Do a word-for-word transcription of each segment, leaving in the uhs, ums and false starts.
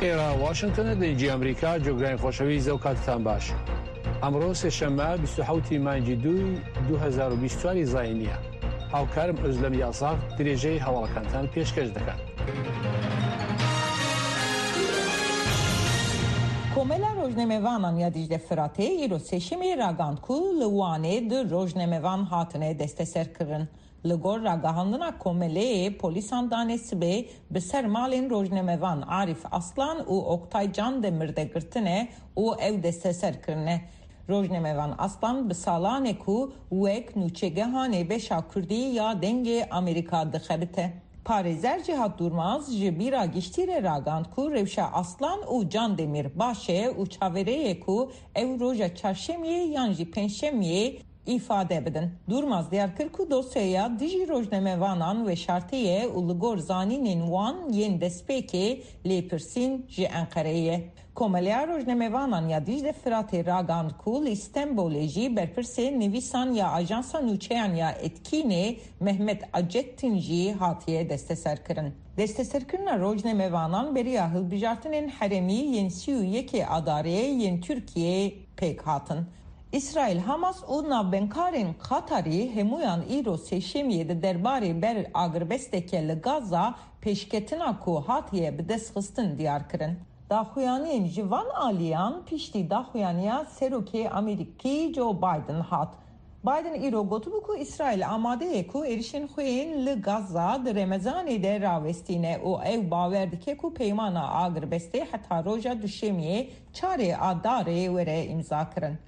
ئێرە واشنگتنە، دەنگی ئەمریکا، جۆگرانی خۆشەویست، ئەو کاتتان باش. ئەمڕۆ سێشەممە، بیست و حەوتی مانگی دووی دوو هەزار و بیست و چواری زایینیە. هاوکارم ئۆزلەم یاساغ درێژەی هەواڵەکانتان پێشکەش دەکات. Komela Rojnamevanan ya Dicle Firatê îro sêşemê ragand ku li Wanê du rojnamevan hatine desteserkirin. Li gor ragihandina komeleyê, polîsan danê sibê bi ser malên rojnamevan Arîf Aslan û Oktay Candemir de girtine û ew desteser kirine. Rojnamevan Aslan bi salan e ku wek nûçegehanê beşa kurdî ya Dengê Amerîka dixebite. Parêzer Cihat Durmaz ji bîra giştî re ragand ku rewşa Aslan û Candemir baş e û çaverê ye ku ew roja çarşemiyê yan jî pêncşemiyê îfade bidin. Durmaz diyar kir ku dosyaya dijî rojnamevanan veşartî ye û li gor zanînên wan yên destpêkê lêpirsîn ji Enqereyê ye. Komeleya Rojnamevanan ya Dîcle Firatê ragand ku li Stenbolê jî berpirsê nivîsan ya Ajansa Nûçeyan ya Etkînê Mehmet Acettin jî hatiye desteserkirin. Desteserkirina rojnamevanan beriya hilbijartinên herêmî yên sî û yekê Adarê yên Tirkiyeyê pêk hatin. Îsraîl, Hamas û navbendkarên Qatarî hemûyan îro sêşemiyê di derbarê ber agirbesteke li Gaza pêşketina ku hatiye bidestxistin diyar kirin. Daxuyaniyên ji van aliyan piştî daxuyaniya Serokê Amerîkî Joe Biden hat. Biden îro gotibû ku Îsraîl amade ye ku êrişên xwe yên li Gaza di Remezanê de rawestîne û ew bawer dike ku peymana agirbestê heta roja Duşemiyê, çarê Adarê, were îmzakirin.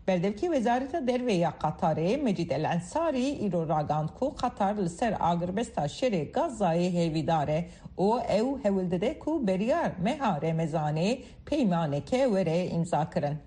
Berdevkê Wezareta Derve ya Qatarê, Mecîd El Ensarî, îro ragand ku Qatar li ser agirbesta şerê Gazayê hêvîdar e û ew hewl dide ku beriya meha Remezanê peymaneke were îmzakirin.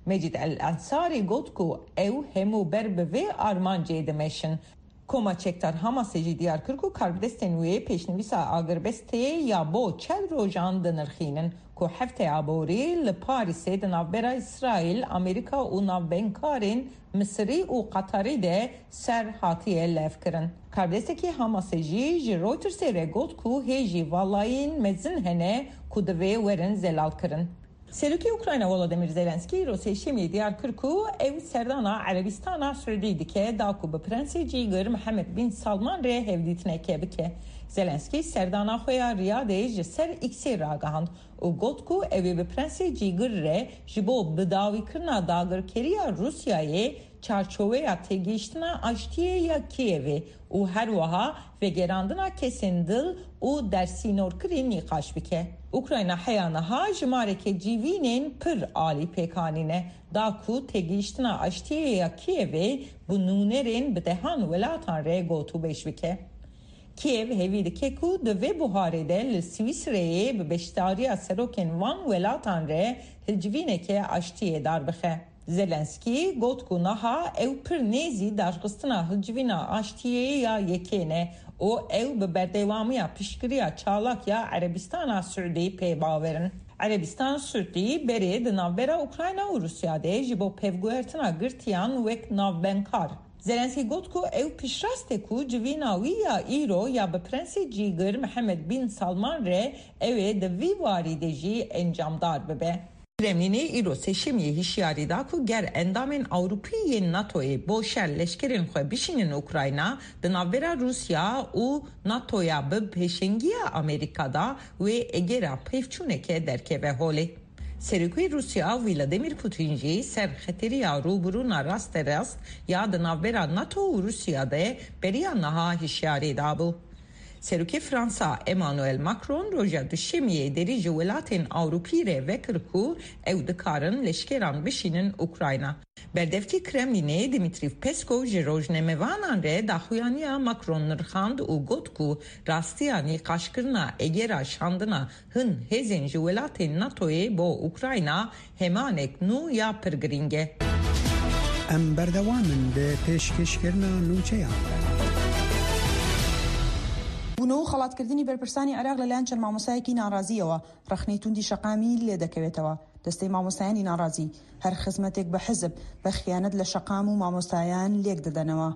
Mecîd El Ensarî got ku ew hemû ber bi vê armancê dimeşin. Koma Çekdar Hamasê jî diyar kir ku karbidestên wê pêşnivîsa agirbestê ya bo çel rojan dinirxînin, ku hefteya borî li Parîsê di navbera Îsraîl, Amerîka û navbendkarên Misirî û Qatarî de ser hatiye levkirin. Karbidestekî Hamasê jî ji Reutersê re got ku hêjî valayîn mezin hene ku divê werin zelalkirin. Serokê Ukrayna Volodymyr Zelenskî îro sêşemiyê diyar kir ku ew serdana Erebistana Siûdî dike, da ku bi Prensê Cîgir Mihemed Bin Salman re hevdîtineke bike. Zelenskî serdana xwe ya Riyadê ji ser X'ê ragihand û got ku ew ê bi Prensê Cîgir re ji bo bidawîkirina dagirkeriya Rûsyayê çarçoveya têgihiştina aştiyê ya Kîevê û her wiha vegerandina kesên dil û dersînorkirî nîqaş bike. Ukrayna heya niha jimareke civînên pir alî pêk anîne, da ku têgihiştina aştiyê ya Kîevê bi nûnerên bi dehan welatan re gotûbêj bike. Kîev hêvî dike ku di vê buharê de li Swîsreyê bi beşdariya serokên van welatan re hilcivîneke aştiyê darbixe. Zelenskî got ku niha ew pir nêzî daxistina hilcivîna aştiyê ya yekê ne û ew bi berdewamiya piştgiriya çalak ya Erebistana Siûdî pê bawer in. Erebistan Siûdî berê di navbera Ukrayna û Rûsya de ji bo pevguhertina girtiyan wek navbendkar. Zelenskî got ku ew piştrast e ku civîna wî ya îro ya bi Prensê Cîgir Mihemed Bin Salman re ew ê di vî warî de jî encamdar bibe. Kremlînê îro sêşemiyê hişyarî da ku ger endamên Ewropî yên NATOyê bo şer leşkerên xwe bişînin Ukrayna, di navbera Rûsya û NATOya bi pêşengiya Amerîka de wê egera pevçûneke derkeve holê. Serokê Rûsya Vladimir Putin jî ser xeteriya rûbirûna rasterast ya di navbera NATO û Rûsya de beriya niha hişyarî dabû. Serokê Fransa Emmanuel Macron roja Duşemiyê derî ji welatên Ewropî re vekir ku ew dikarin leşkeran bişînin Ukrayna. Berdevkê Kremlînê Dimitrî Peskov ji rojnamevanan re daxuyaniya Macron nirxand û got ku rastiya nîqaşkirina egera şandina hin hêzên ji welatên NATOyê bo Ukrayna hemanek nû ya pir girîng e. Em berdewam in bi pêşkêşkirina nûçeyan. بوونەوە و خەڵاتکردنی بەرپرسانی عێراق لەلایەن چەند مامۆستایەکی ناڕازییەوە ڕەخنەی توندی شەقامی لێ دەکەوێتەوە. دەستەی مامۆستایانی ناڕازی، هەر خزمەتێک بە حزب بە خیانەت لە شەقام و مامۆستایان لێک دەدەنەوە.